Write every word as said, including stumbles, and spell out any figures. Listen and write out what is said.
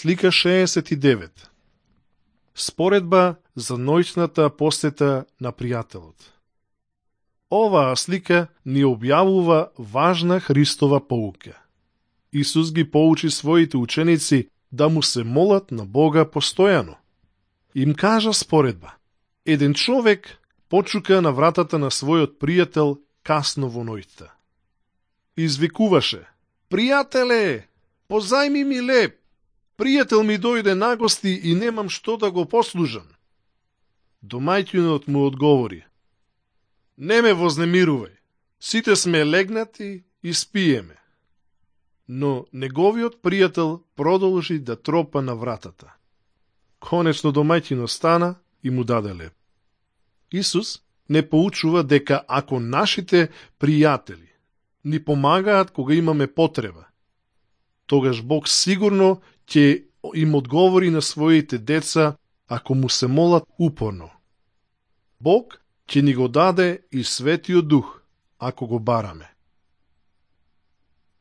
Слика шеесет и девет. Споредба за ноќната посета на пријателот. Оваа слика ни објавува важна Христова поука. Исус ги поучи своите ученици да му се молат на Бога постојано. Им кажа споредба. Еден човек почука на вратата на својот пријател касно во ноќта. Извикуваше: "Пријателе, позајми ми леп. Пријател ми дојде на гости и немам што да го послужам." Домаќинот му одговори: "Не ме вознемирувај, сите сме легнати и спиеме." Но неговиот пријател продолжи да тропа на вратата. Конечно домаќинот стана и му даде леп. Исус не поучува дека ако нашите пријатели ни помагаат кога имаме потреба, тогаш Бог сигурно ќе им одговори на своите деца ако му се молат упорно. Бог ќе ни го даде и Светиот Дух ако го бараме.